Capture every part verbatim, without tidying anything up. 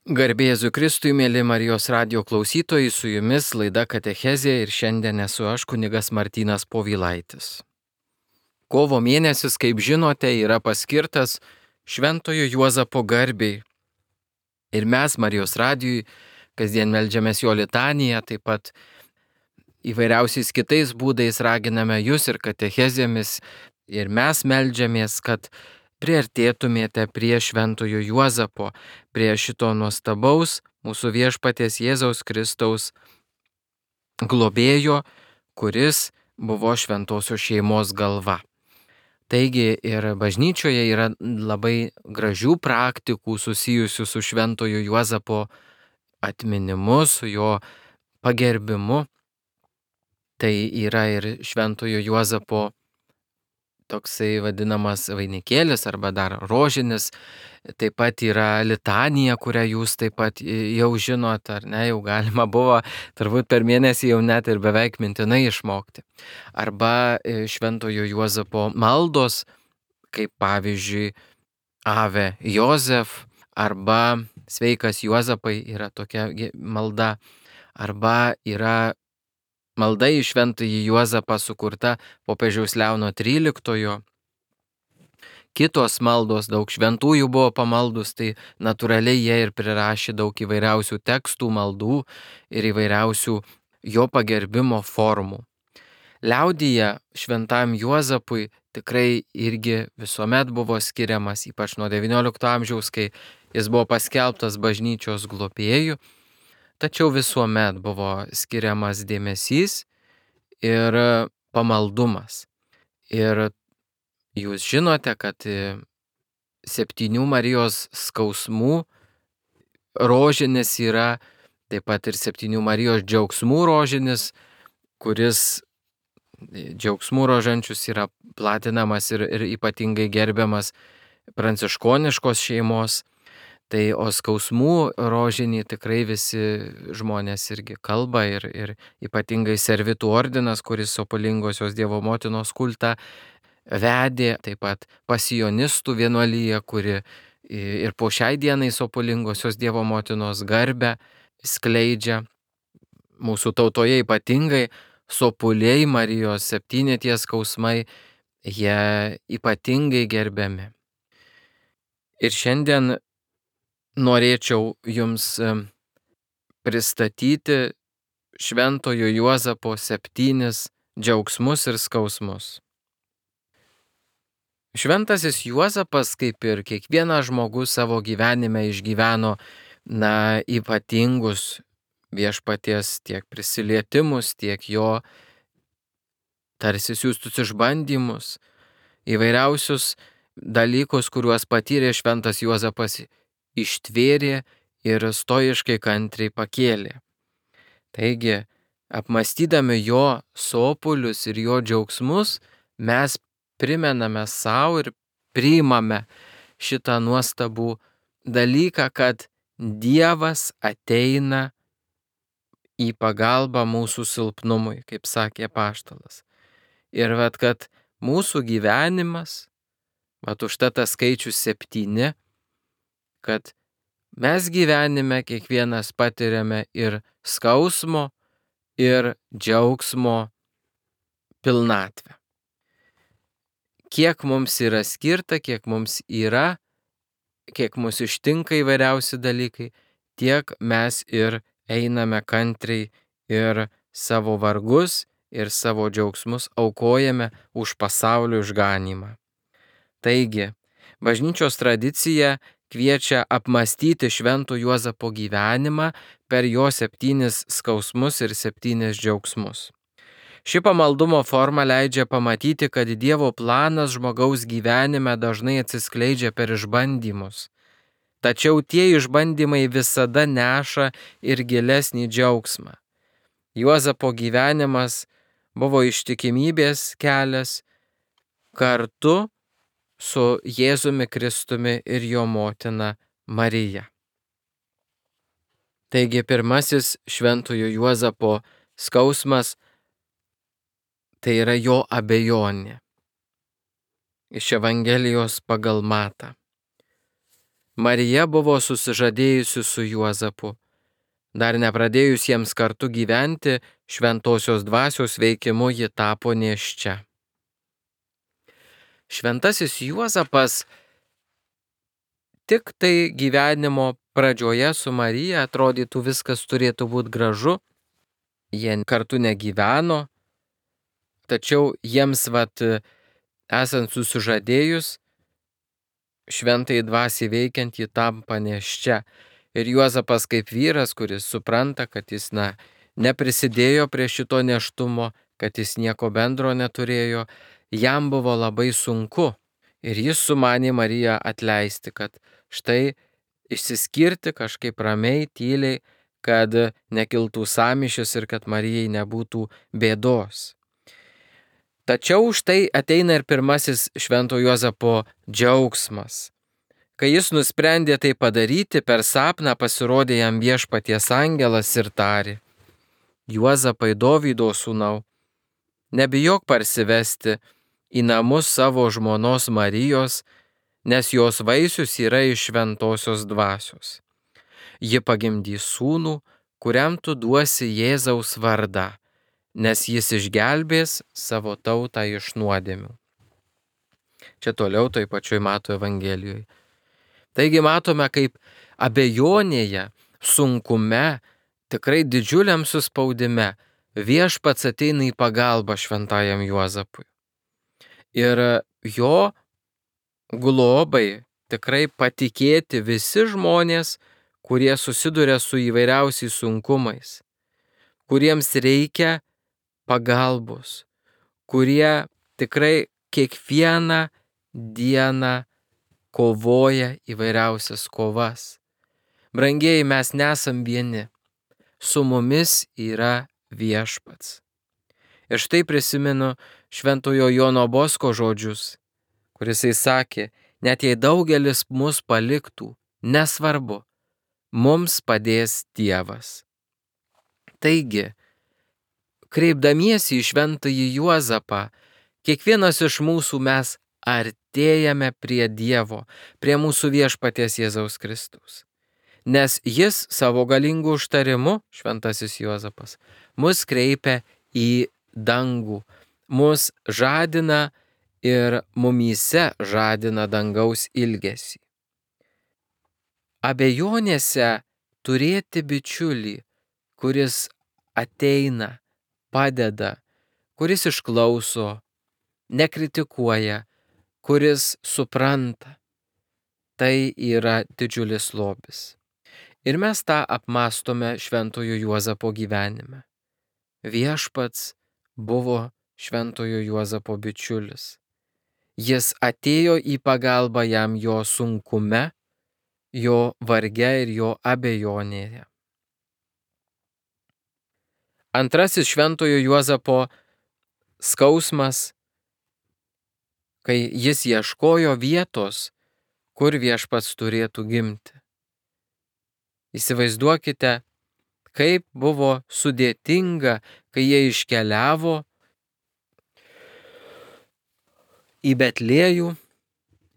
Garbė Jėzui Kristui, mėly Marijos radijo klausytojai, su jumis laida Katechezė ir šiandien esu aš, kunigas Martynas Povilaitis. Kovo mėnesis, kaip žinote, yra paskirtas Šventojo Juozapo garbei. Ir mes Marijos radijui kasdien meldžiamės jo litaniją, taip pat įvairiausiais kitais būdais raginame jūs ir katechezėmis. Ir mes meldžiamės, kad priartėtumėte prie Šventojo Juozapo, prie šito nuostabaus mūsų viešpaties Jėzaus Kristaus globėjo, kuris buvo šventosios šeimos galva. Taigi ir bažnyčioje yra labai gražių praktikų susijusių su Šventojo Juozapo atminimu, su jo pagerbimu. Tai yra ir Šventojo Juozapo toksai vadinamas vainikėlis arba dar rožinis, taip pat yra litanija, kurią jūs taip pat jau žinot, ar ne, jau galima buvo turbūt per mėnesį jau net ir beveik mintinai išmokti. Arba Šventojo Juozapo maldos, kaip pavyzdžiui Ave Jozef, arba Sveikas Juozapai yra tokia malda, arba yra malda į Šventąjį Juozapą sukurta popiežiaus Leono tryliktojo. Kitos maldos, daug šventųjų buvo pamaldus, tai natūraliai jie ir prirašė daug įvairiausių tekstų, maldų ir įvairiausių jo pagerbimo formų. Liaudyje Šventam Juozapui tikrai irgi visuomet buvo skiriamas, ypač nuo devyniolikto amžiaus, kai jis buvo paskelbtas bažnyčios globėju. Tačiau visuomet buvo skiriamas dėmesys ir pamaldumas. Ir jūs žinote, kad septynių Marijos skausmų rožinis yra, taip pat ir septynių Marijos džiaugsmų rožinis, kuris džiaugsmų rožančius yra platinamas ir, ir ypatingai gerbiamas pranciškoniškos šeimos. Tai o skausmų rožinį tikrai visi žmonės irgi kalba ir, ir ypatingai servitų ordinas, kuris Sopulingosios Dievo motinos kultą vedė, taip pat pasijonistų vienuolyje, kuri ir po šiai dienai Sopulingosios Dievo motinos garbę skleidžia. Mūsų tautoje ypatingai sopuliai Marijos septyni tie skausmai, jie ypatingai gerbiami. Ir šiandien norėčiau jums pristatyti Šventojo Juozapo septynis džiaugsmus ir skausmus. Šventasis Juozapas, kaip ir kiekvienas žmogus savo gyvenime išgyveno na, ypatingus viešpaties tiek prisilietimus, tiek jo tarsi siųstus išbandymus, įvairiausius dalykus, kuriuos patyrė Šventas Juozapas, ištvėrė ir stoiškai kantriai pakėlė. Taigi, apmąstydami jo sopulius ir jo džiaugsmus, mes primename savo ir priimame šitą nuostabų dalyką, kad Dievas ateina į pagalbą mūsų silpnumui, kaip sakė apaštalas. Ir vat, kad mūsų gyvenimas, vat užtat tas skaičius septyni, kad mes gyvenime kiekvienas patiriame ir skausmo, ir džiaugsmo pilnatvę. Kiek mums yra skirta, kiek mums yra, kiek mus ištinka įvairiausi dalykai, tiek mes ir einame kantriai ir savo vargus ir savo džiaugsmus aukojame už pasaulio išganymą. Taigi, bažnyčios tradicija kviečia apmąstyti Švento Juozapo gyvenimą per jo septynis skausmus ir septynis džiaugsmus. Ši pamaldumo forma leidžia pamatyti, kad Dievo planas žmogaus gyvenime dažnai atsiskleidžia per išbandymus. Tačiau tie išbandymai visada neša ir gilesnį džiaugsmą. Juozapo gyvenimas buvo ištikimybės kelias kartu su Jėzumi Kristumi ir jo motina Marija. Taigi pirmasis Šventojo Juozapo skausmas tai yra jo abejonė. Iš Evangelijos pagal Matą. Marija buvo susižadėjusi su Juozapu. Dar nepradėjus jiems kartu gyventi, šventosios dvasios veikimu ji tapo nėščia. Šventasis Juozapas tik tai gyvenimo pradžioje su Marija, atrodytų viskas turėtų būti gražu, jie kartu negyveno, tačiau jiems vat, esant susižadėjus, šventai dvasiai veikiant ji tampa nėščia. Ir Juozapas kaip vyras, kuris supranta, kad jis na, neprisidėjo prie šito nėštumo, kad jis nieko bendro neturėjo, jam buvo labai sunku. Ir jis sumanė Mariją atleisti, kad štai išsiskirti kažkaip ramiai, tyliai, kad nekiltų sąmyšis ir kad Marijai nebūtų bėdos. Tačiau štai ateina ir pirmasis švento Juozapo džiaugsmas. Kai jis nusprendė tai padaryti, per sapną pasirodė jam viešpaties angelas ir tarė: Juozapai, Dovydo sūnau, nebijok parsivesti į namus savo žmonos Marijos, nes jos vaisius yra iš šventosios dvasios. Ji pagimdys sūnų, kuriam tu duosi Jėzaus vardą, nes jis išgelbės savo tautą iš nuodėmių. Čia toliau toj pačioj Mato Evangelijoje. Taigi matome, kaip abejonėje, sunkume, tikrai didžiuliam suspaudime viešpats ateina į pagalbą šventajam Juozapui. Ir jo globai tikrai patikėti visi žmonės, kurie susiduria su įvairiausiais sunkumais, kuriems reikia pagalbos, kurie tikrai kiekvieną dieną kovoja įvairiausias kovas. Brangieji, mes nesam vieni, su mumis yra viešpats. Ir štai prisimenu šventojo Jono Bosko žodžius, kuris sakė: net jei daugelis mus paliktų, nesvarbu, mums padės Dievas. Taigi, kreipdamiesi į šventąjį Juozapą, kiekvienas iš mūsų mes artėjame prie Dievo, prie mūsų viešpaties Jėzaus Kristaus. Nes jis savo galingų užtarimu, šventasis Juozapas, mus kreipia į dangų, mus žadina ir mumyse žadina dangaus ilgesį. Abejonėse turėti bičiulį, kuris ateina, padeda, kuris išklauso, nekritikuoja, kuris supranta, tai yra didžiulis lobis. Ir mes tą apmastome šventojo Juozapo gyvenime. Viešpats buvo šventojo Juozapo bičiulis. Jis atėjo į pagalbą jam jo sunkume, jo varge ir jo abejonėje. Antrasis šventojo Juozapo skausmas, kai jis ieškojo vietos, kur viešpats turėtų gimti. Įsivaizduokite, kaip buvo sudėtinga, kai jie iškeliavo į Betliejų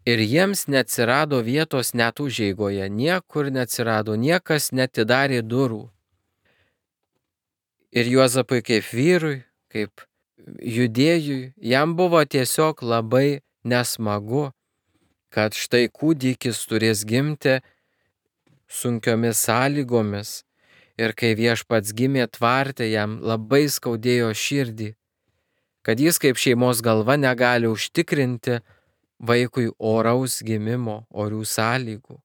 ir jiems neatsirado vietos net užeigoje, niekur neatsirado, niekas neatidarė durų. Ir Juozapui kaip vyrui, kaip judėjui, jam buvo tiesiog labai nesmagu, kad štai kūdikis turės gimti sunkiomis sąlygomis. Ir kai viešpats gimė tvarte, jam labai skaudėjo širdį, kad jis kaip šeimos galva negali užtikrinti vaikui oraus gimimo, orių sąlygų.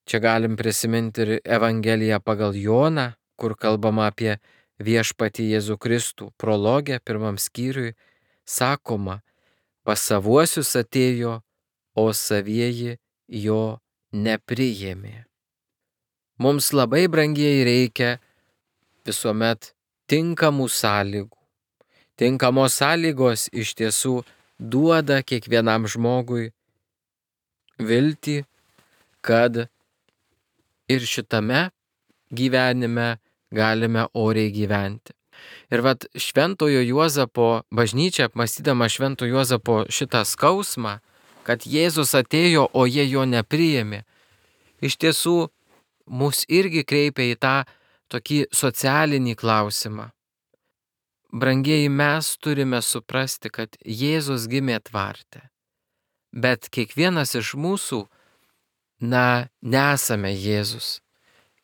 Čia galim prisiminti ir Evangeliją pagal Joną, kur kalbama apie viešpatį Jėzų Kristų. Prologė pirmam skyriui sakoma: pas savuosius atėjo, o savieji jo nepriėmė. Mums labai brangiai reikia visuomet tinkamų sąlygų. Tinkamos sąlygos iš tiesų duoda kiekvienam žmogui viltį, kad ir šitame gyvenime galime oriai gyventi. Ir vat šventojo Juozapo bažnyčia, apmąstydama švento Juozapo šitą skausmą, kad Jėzus atėjo, o jie jo nepriėmė, iš tiesų mus irgi kreipia į tą tokį socialinį klausimą. Brangieji, mes turime suprasti, kad Jėzus gimė tvarte, bet kiekvienas iš mūsų, na, nesame Jėzus.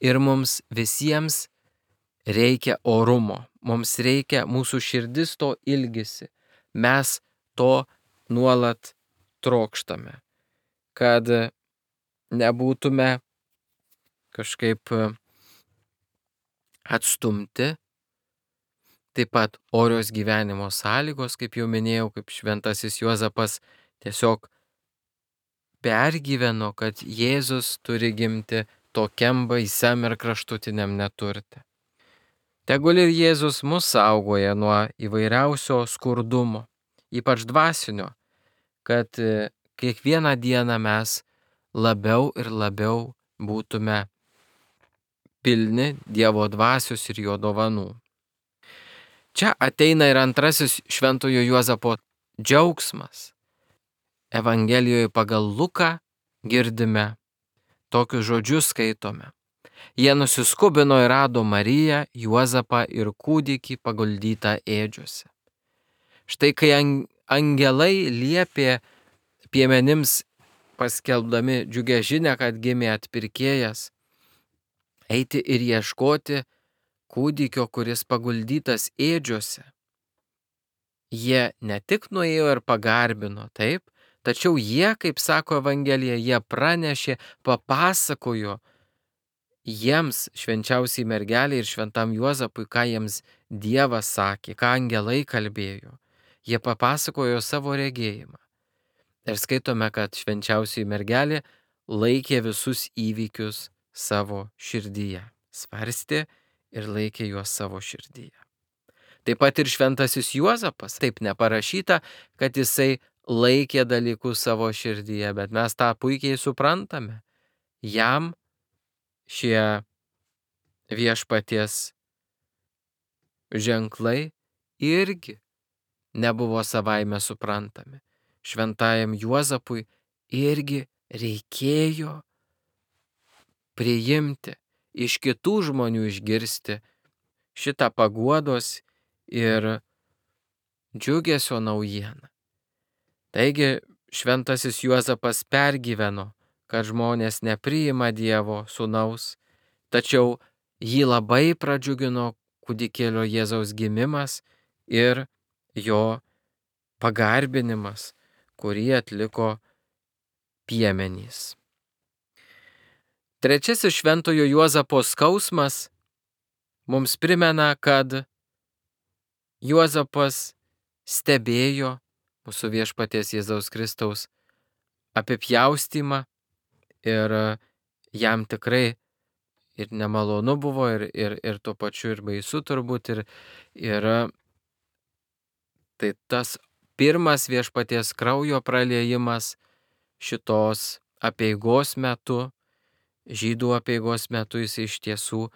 Ir mums visiems reikia orumo, mums reikia, mūsų širdis to ilgisi, mes to nuolat trokštame, kad nebūtume kažkaip atstumti. Taip pat orios gyvenimo sąlygos, kaip jau minėjau, kaip šventasis Juozapas tiesiog pergyveno, kad Jėzus turi gimti tokiam baisiam ir kraštutiniam neturte. Tegul ir Jėzus mus saugoja nuo įvairiausio skurdumo, ypač dvasinio, kad kiekvieną dieną mes labiau ir labiau būtume pilni Dievo dvasios ir jo dovanų. Čia ateina ir antrasis šventojo Juozapo džiaugsmas. Evangelijoje pagal Luką girdime, tokius žodžius skaitome. Jie nusiskubino ir rado Mariją, Juozapą ir kūdikį paguldytą ėdžiose. Štai kai angelai liepė piemenims, paskelbdami džiugią žinią, kad gimė atpirkėjas, eiti ir ieškoti kūdikio, kuris paguldytas ėdžiose. Jie ne tik nuėjo ir pagarbino, taip, tačiau jie, kaip sako Evangelija, jie pranešė, papasakojo jiems, švenčiausiai mergeliai ir šventam Juozapui, ką jiems Dievas sakė, ką angelai kalbėjo. Jie papasakojo savo regėjimą. Ir skaitome, kad švenčiausiai mergelė laikė visus įvykius savo širdyje. Svarstė ir laikė juos savo širdyje. Taip pat ir šventasis Juozapas, taip neparašyta, kad jisai laikė dalykus savo širdyje, bet mes tą puikiai suprantame. Jam šie viešpaties ženklai irgi nebuvo savaime suprantami. Šventajam Juozapui irgi reikėjo priimti, iš kitų žmonių išgirsti šitą paguodos ir džiugesio naujieną. Taigi šventasis Juozapas pergyveno, kad žmonės nepriima Dievo sūnaus, tačiau jį labai pradžiugino kūdikėlio Jėzaus gimimas ir jo pagarbinimas, kurį atliko piemenys. Trečiasis šventojo Juozapo skausmas mums primena, kad Juozapas stebėjo mūsų viešpaties Jėzaus Kristaus apipjaustymą ir jam tikrai ir nemalonu buvo, ir, ir, ir tuo pačiu ir baisu turbūt. Ir, ir tai tas pirmas viešpaties kraujo praliejimas šitos apeigos metu, žydų apeigos metu, jis iš tiesų,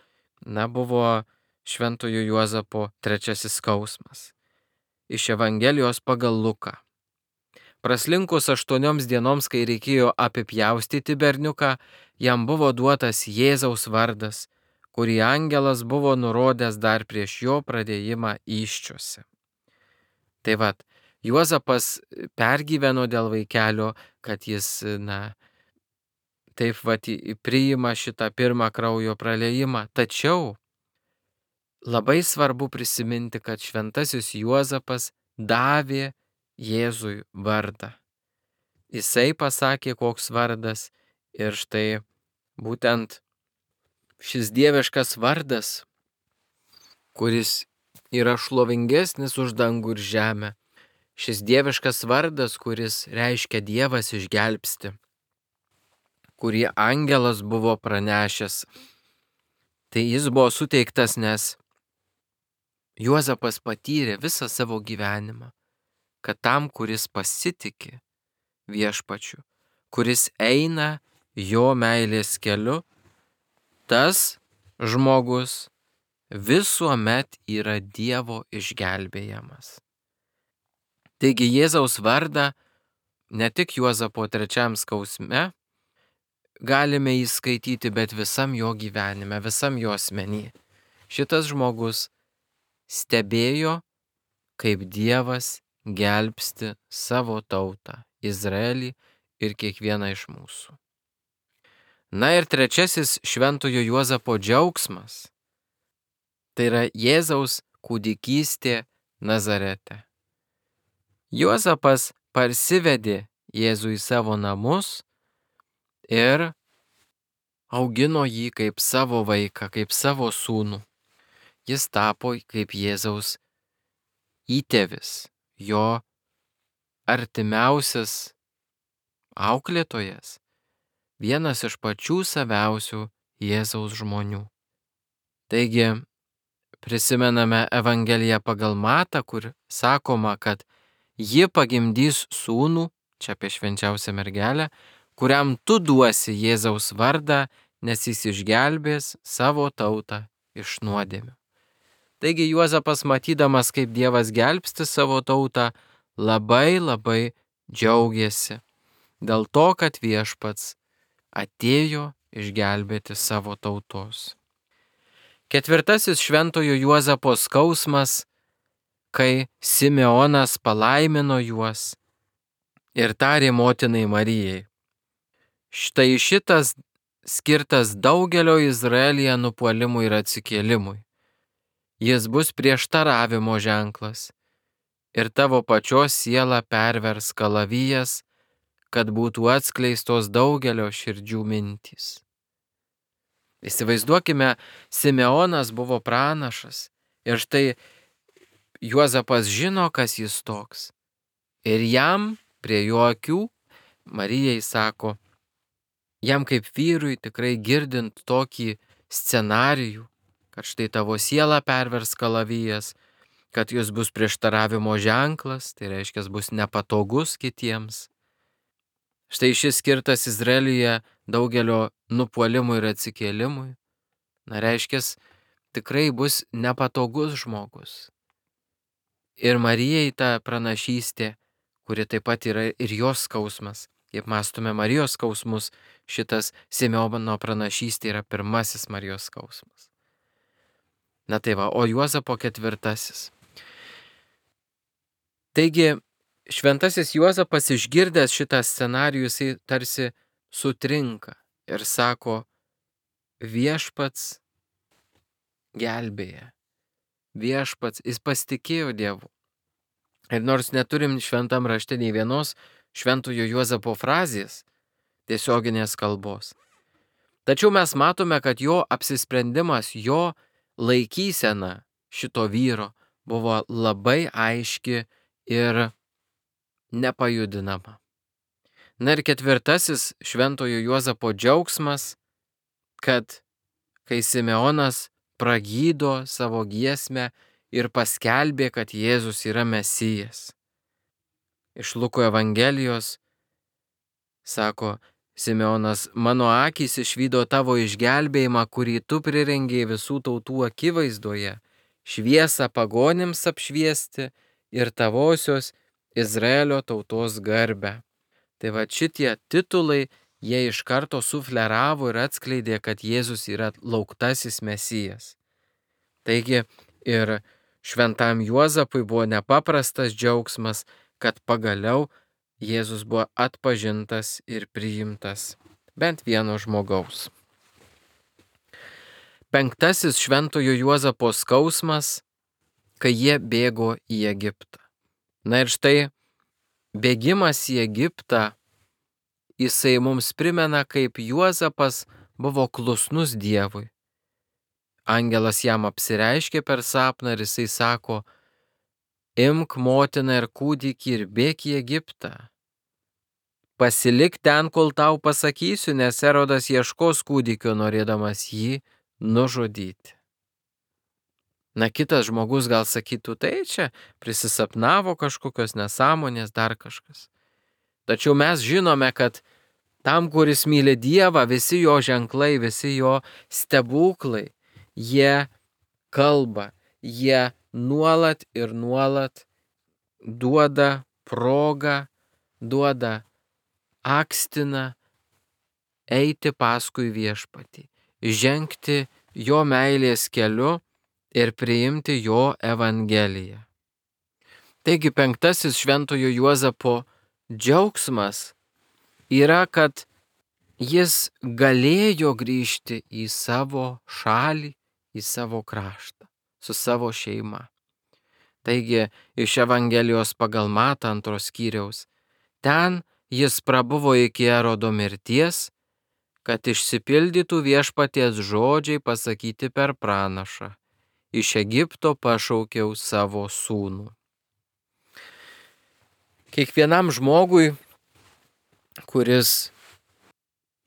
na, buvo šventojo Juozapo trečiasis skausmas. Iš Evangelijos pagal Luką. Praslinkus aštuonioms dienoms, kai reikėjo apipjaustyti berniuką, jam buvo duotas Jėzaus vardas, kurį angelas buvo nurodęs dar prieš jo pradėjimą įsčiose. Tai vat, Juozapas pergyveno dėl vaikelio, kad jis, na, taip vat priima šitą pirmą kraujo praliejimą. Tačiau labai svarbu prisiminti, kad šventasis Juozapas davė Jėzui vardą. Jisai pasakė, koks vardas, ir štai būtent šis dieviškas vardas, kuris yra šlovingesnis už dangų ir žemę, šis dieviškas vardas, kuris reiškia Dievas išgelbsti, kurį angelas buvo pranešęs, tai jis buvo suteiktas, nes Juozapas patyrė visą savo gyvenimą, kad tam, kuris pasitiki viešpačiu, kuris eina jo meilės keliu, tas žmogus visuomet yra Dievo išgelbėjamas. Taigi Jėzaus vardą ne tik Juozapo trečiam skausme galime įskaityti, bet visam jo gyvenime, visam jo asmenį. Šitas žmogus stebėjo, kaip Dievas gelbsti savo tautą, Izraelį ir kiekvieną iš mūsų. Na ir trečiasis šventojo Juozapo džiaugsmas – tai yra Jėzaus kūdikystė Nazarete. Juozapas parsivedė Jėzų į savo namus ir augino jį kaip savo vaiką, kaip savo sūnų. Jis tapo kaip Jėzaus įtėvis, jo artimiausias auklėtojas, vienas iš pačių saviausių Jėzaus žmonių. Taigi, prisimename Evangeliją pagal Matą, kur sakoma, kad ji pagimdys sūnų, čia apie švenčiausią mergelę, kuriam tu duosi Jėzaus vardą, nes jis išgelbės savo tautą iš nuodėmių. Taigi Juozapas, matydamas, kaip Dievas gelbsti savo tautą, labai labai džiaugiasi dėl to, kad Viešpats atėjo išgelbėti savo tautos. Ketvirtasis šventojo Juozapo skausmas, kai Simeonas palaimino juos ir tarė motinai Marijai. Štai šitas skirtas daugelio Izraelyje nupuolimui ir atsikėlimui. Jis bus prieštaravimo ženklas ir tavo pačios sielą pervers kalavijas, kad būtų atskleistos daugelio širdžių mintys. Įsivaizduokime, Simeonas buvo pranašas ir štai Juozapas žino, kas jis toks. Ir jam prie jo akių Marijai sako, jam kaip vyrui tikrai girdint tokį scenarijų, kad štai tavo sielą pervers kalavijas, kad jis bus prieštaravimo ženklas, tai reiškia, bus nepatogus kitiems. Štai šis skirtas Izraelyje daugelio nupuolimui ir atsikėlimui. Na, reiškia, tikrai bus nepatogus žmogus. Ir Marijai ta pranašystė, kuri taip pat yra ir jos skausmas. Kaip mąstume Marijos skausmus, šitas Simeono pranašystė yra pirmasis Marijos skausmas. Na tai va, o Juozapo ketvirtasis. Taigi, šventasis Juozapas išgirdęs šitą scenarijų, jisai tarsi sutrinka ir sako, Viešpats gelbėja. Viešpats, jis pasitikėjo Dievu. Ir nors neturim šventam rašte nei vienos šventojo Juozapo frazės, tiesioginės kalbos, tačiau mes matome, kad jo apsisprendimas, jo laikysena šito vyro buvo labai aiški ir nepajudinama. Na ir ketvirtasis šventojo Juozapo džiaugsmas, kad kai Simeonas pragydo savo giesmę ir paskelbė, kad Jėzus yra Mesijas. Iš Luko Evangelijos sako Simeonas, mano akys išvydo tavo išgelbėjimą, kurį tu prirengei visų tautų akivaizdoje, šviesą pagonims apšviesti ir tavosios Izraelio tautos garbę. Tai va šitie titulai, jie iš karto sufleravo ir atskleidė, kad Jėzus yra lauktasis Mesijas. Taigi ir šventam Juozapui buvo nepaprastas džiaugsmas, kad pagaliau Jėzus buvo atpažintas ir priimtas bent vieno žmogaus. Penktasis šventojo Juozapo skausmas, kai jie bėgo į Egiptą. Na ir štai bėgimas į Egiptą, jisai mums primena, kaip Juozapas buvo klusnus Dievui. Angelas jam apsireiškė per sapną ir jisai sako, imk motiną ir kūdikį ir bėk į Egiptą. Pasilik ten, kol tau pasakysiu, nes Erodas ieškos kūdikio, norėdamas jį nužudyti. Na, kitas žmogus gal sakytų, tai čia prisisapnavo kažkokios nesąmonės, dar kažkas. Tačiau mes žinome, kad tam, kuris myli Dievą, visi jo ženklai, visi jo stebuklai, jie kalba, jie nuolat ir nuolat duoda progą, duoda akstina eiti paskui viešpatį, žengti jo meilės keliu ir priimti jo evangeliją. Taigi penktasis šventojo Juozapo džiaugsmas yra, kad jis galėjo grįžti į savo šalį, į savo kraštą, su savo šeima. Taigi iš Evangelijos pagal Matą antros skyriaus, ten jis prabuvo iki Erodo mirties, kad išsipildytų viešpaties žodžiai pasakyti per pranašą. Iš Egipto pašaukiau savo sūnų. Kiekvienam žmogui, kuris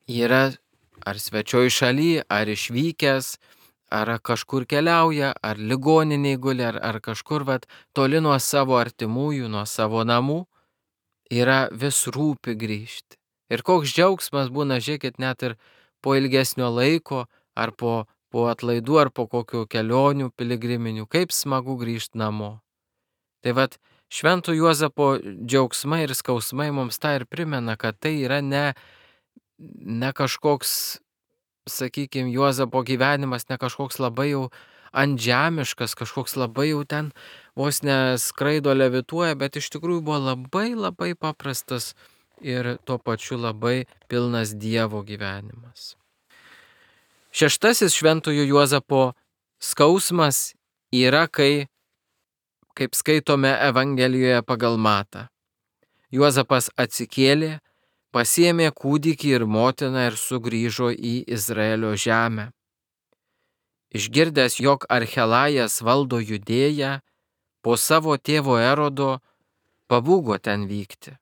yra ar svečioj šaly, ar išvykęs, ar kažkur keliauja, ar ligoniniai guli, ar, ar kažkur vat, toli nuo savo artimųjų, nuo savo namų, yra vis rūpi grįžti. Ir koks džiaugsmas būna, žiūrėkit, net ir po ilgesnio laiko, ar po, po atlaidų, ar po kokių kelionių piligriminių, kaip smagu grįžti namo. Tai vat Švento Juozapo džiaugsmai ir skausmai mums tą ir primena, kad tai yra ne, ne kažkoks, sakykime, Juozapo gyvenimas, ne kažkoks labai jau antžemiškas, kažkoks labai jau ten vos neskraido levituoja, bet iš tikrųjų buvo labai labai paprastas ir tuo pačiu labai pilnas Dievo gyvenimas. Šeštasis Šventojo Juozapo skausmas yra, kai, kaip skaitome Evangelijoje pagal Matą, Juozapas atsikėlė, pasiėmė kūdikį ir motiną ir sugrįžo į Izraelio žemę. Išgirdęs, jog Archelajas valdo Judėją, po savo tėvo Erodo pabūgo ten vykti.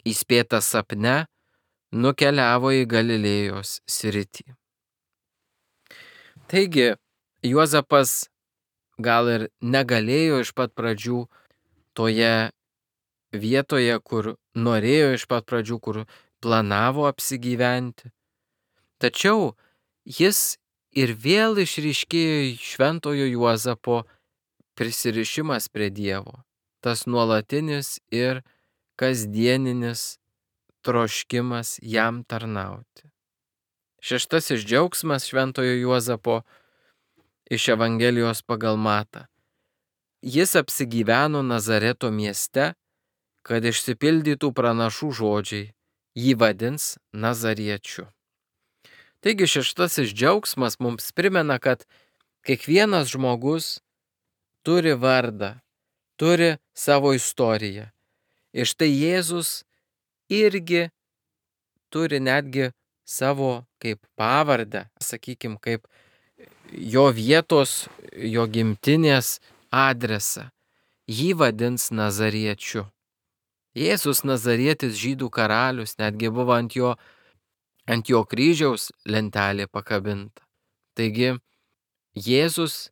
Įspėtas sapne, nukeliavo į Galilėjos sritį. Taigi, Juozapas gal ir negalėjo iš pat pradžių toje vietoje, kur norėjo iš pat pradžių, kur planavo apsigyventi. Tačiau jis ir vėl išryškėjo Šventojo Juozapo prisirišimas prie Dievo, tas nuolatinis ir kasdieninis troškimas jam tarnauti. Šeštasis džiaugsmas Šventojo Juozapo iš Evangelijos pagal Matą. Jis apsigyveno Nazareto mieste, kad išsipildytų pranašų žodžiai, jį vadins Nazariečiu. Taigi šeštasis džiaugsmas mums primena, kad kiekvienas žmogus turi vardą, turi savo istoriją. Ir štai Jėzus irgi turi netgi savo kaip pavardę, sakykime, kaip jo vietos, jo gimtinės adresą. Jį vadins Nazariečiu. Jėzus Nazarietis, žydų karalius, netgi buvo ant jo, ant jo kryžiaus lentelė pakabinta. Taigi, Jėzus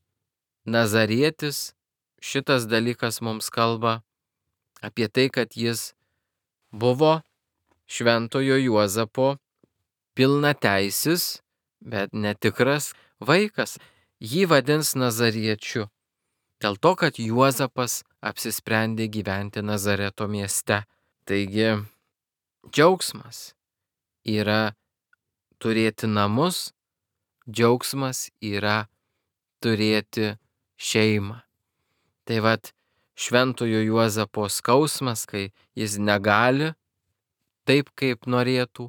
Nazarietis, šitas dalykas mums kalba apie tai, kad jis buvo Šventojo Juozapo pilnateisis, bet netikras vaikas. Jį vadins Nazariečiu. Dėl to, kad Juozapas apsisprendė gyventi Nazareto mieste. Taigi, džiaugsmas yra turėti namus, džiaugsmas yra turėti šeimą. Tai vat Šventojo Juozapo skausmas, kai jis negali taip, kaip norėtų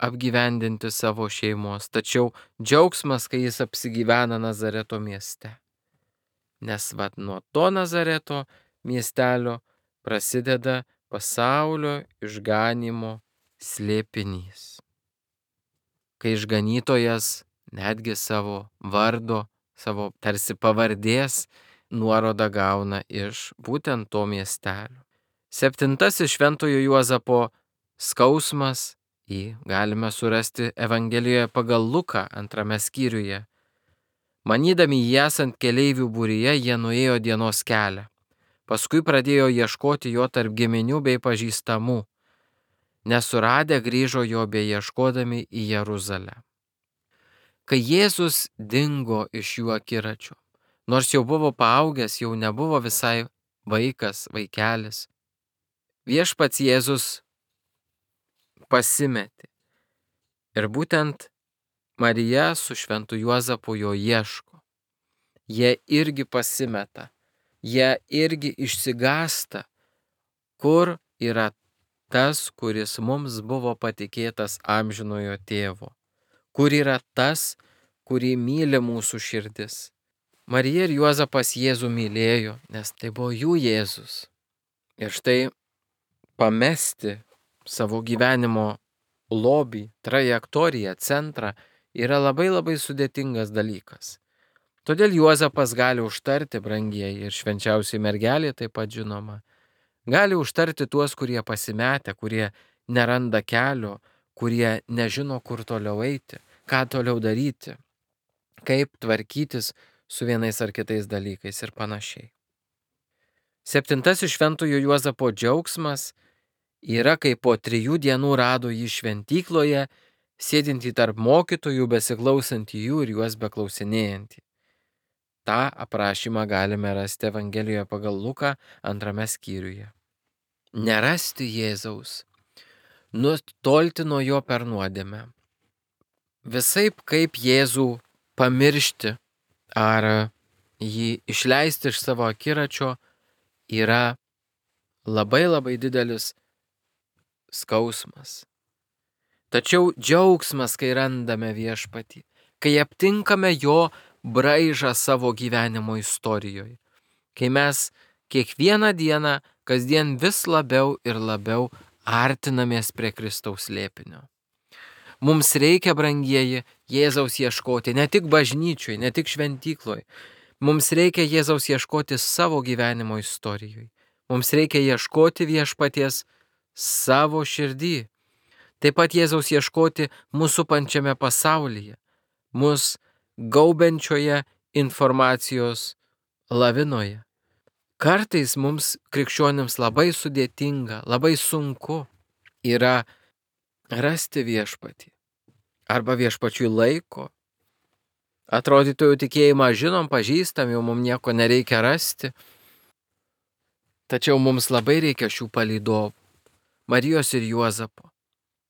apgyvendinti savo šeimos. Tačiau džiaugsmas, kai jis apsigyvena Nazareto mieste. Nes vat nuo to Nazareto miestelio prasideda pasaulio išganymo slėpinys. Kai išganytojas netgi savo vardo, savo tarsi pavardės nuorodą gauna iš būtent to miestelio. Septintasis Šventojo Juozapo skausmas jį galime surasti Evangelijoje pagal Luką antrame skyriuje. Manydami jį esant keleivių būryje, jie nuėjo dienos kelią. Paskui pradėjo ieškoti jo tarp giminių bei pažįstamų. Nesuradę grįžo jo beieškodami į Jeruzalę. Kai Jėzus dingo iš jų akiračio, nors jau buvo paaugęs, jau nebuvo visai vaikas, vaikelis, viešpats Jėzus pasimetė. Ir būtent Marija su šventu Juozapu jo ieško. Jie irgi pasimeta, jie irgi išsigąsta, kur yra tas, kuris mums buvo patikėtas amžinojo tėvo, kur yra tas, kurį myli mūsų širdis. Marija ir Juozapas Jėzų mylėjo, nes tai buvo jų Jėzus. Ir štai pamesti savo gyvenimo lobį, trajektoriją, centrą yra labai labai sudėtingas dalykas. Todėl Juozapas gali užtarti, brangieji, ir švenčiausiai mergelė taip pat žinoma, gali užtarti tuos, kurie pasimetę, kurie neranda kelio, kurie nežino, kur toliau eiti, ką toliau daryti, kaip tvarkytis su vienais ar kitais dalykais ir panašiai. Septintasis šventojo Juozapo džiaugsmas yra, kai po trijų dienų rado jį šventykloje, sėdintį tarp mokytojų, besiklausantį jų ir juos beklausinėjantį. Ta aprašymą galime rasti Evangelijoje pagal Luką antrame skyriuje. Nerasti Jėzaus, nutolti nuo jo per nuodėmę. Visaip kaip Jėzų pamiršti ar jį išleisti iš savo akiračio yra labai labai didelis skausmas. Tačiau džiaugsmas, kai randame viešpatį, kai aptinkame jo braižą savo gyvenimo istorijoje, kai mes kiekvieną dieną, kasdien vis labiau ir labiau artinamės prie Kristaus slėpinio. Mums reikia, brangieji, Jėzaus ieškoti ne tik bažnyčioj, ne tik šventykloj. Mums reikia Jėzaus ieškoti savo gyvenimo istorijoje. Mums reikia ieškoti viešpaties savo širdį. Taip pat Jėzaus ieškoti mūsų pančiame pasaulyje, mus gaubenčioje informacijos lavinoje. Kartais mums krikščionims labai sudėtinga, labai sunku yra rasti viešpatį arba viešpačiui laiko. Atrodytų jau tikėjimą žinom, pažįstam, jau mums nieko nereikia rasti. Tačiau mums labai reikia šių palydovų, Marijos ir Juozapo,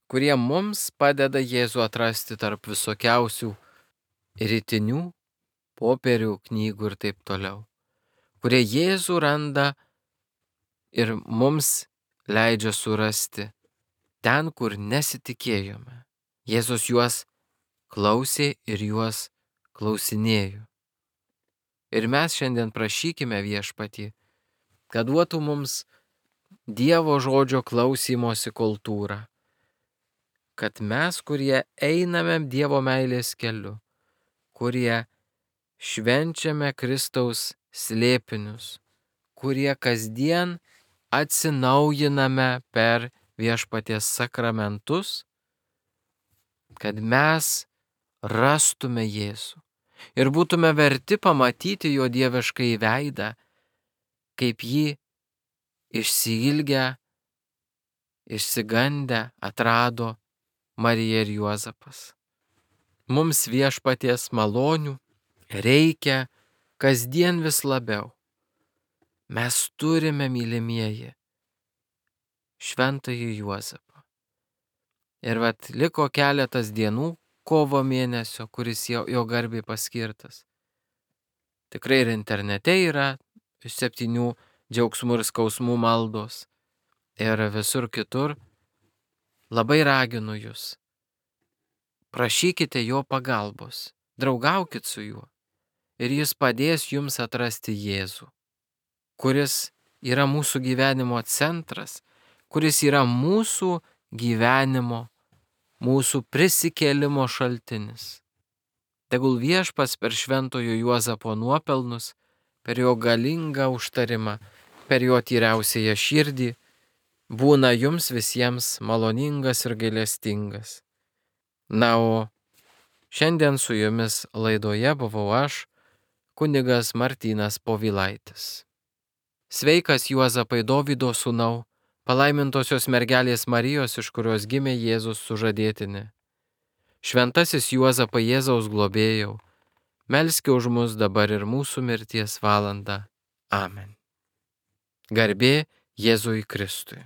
kurie mums padeda Jėzų atrasti tarp visokiausių rytinių, popierių, knygų ir taip toliau, kurie Jėzų randa ir mums leidžia surasti ten, kur nesitikėjome. Jėzus juos klausė ir juos klausinėjo. Ir mes šiandien prašykime viešpatį, kad duotų mums Dievo žodžio klausymosi kultūrą, kad mes, kurie einame Dievo meilės keliu, kurie švenčiame Kristaus slėpinius, kurie kasdien atsinaujiname per viešpaties sakramentus, kad mes rastume Jėzų ir būtume verti pamatyti jo dieviškai veidą, kaip jį išsiilgę, išsigandę atrado Marija ir Juozapas. Mums viešpaties malonių reikia kasdien vis labiau. Mes turime, mylimieji, šventąjį Juozapą. Ir vat liko keletas dienų kovo mėnesio, kuris jo, jo garbiai paskirtas. Tikrai ir internete yra septynių džiaugsmų ir skausmų maldos. Ir visur kitur labai raginu jūs. Prašykite jo pagalbos, draugaukit su juo. Ir jis padės jums atrasti Jėzų, kuris yra mūsų gyvenimo centras, kuris yra mūsų gyvenimo, mūsų prisikėlimo šaltinis. Tegul viešpats per šventojo Juozapo nuopelnus, per jo galingą užtarimą, per jo tyriausiąją širdį, būna jums visiems maloningas ir gailestingas. Na, o šiandien su jumis laidoje buvau aš, kunigas Martynas Povilaitis. Sveikas Juozapai, Dovydo sūnau, palaimintosios mergelės Marijos, iš kurios gimė Jėzus sužadėtinė. Šventasis Juozapai, Jėzaus globėjau, melski už mus dabar ir mūsų mirties valandą. Amen. Garbė Jėzui Kristui.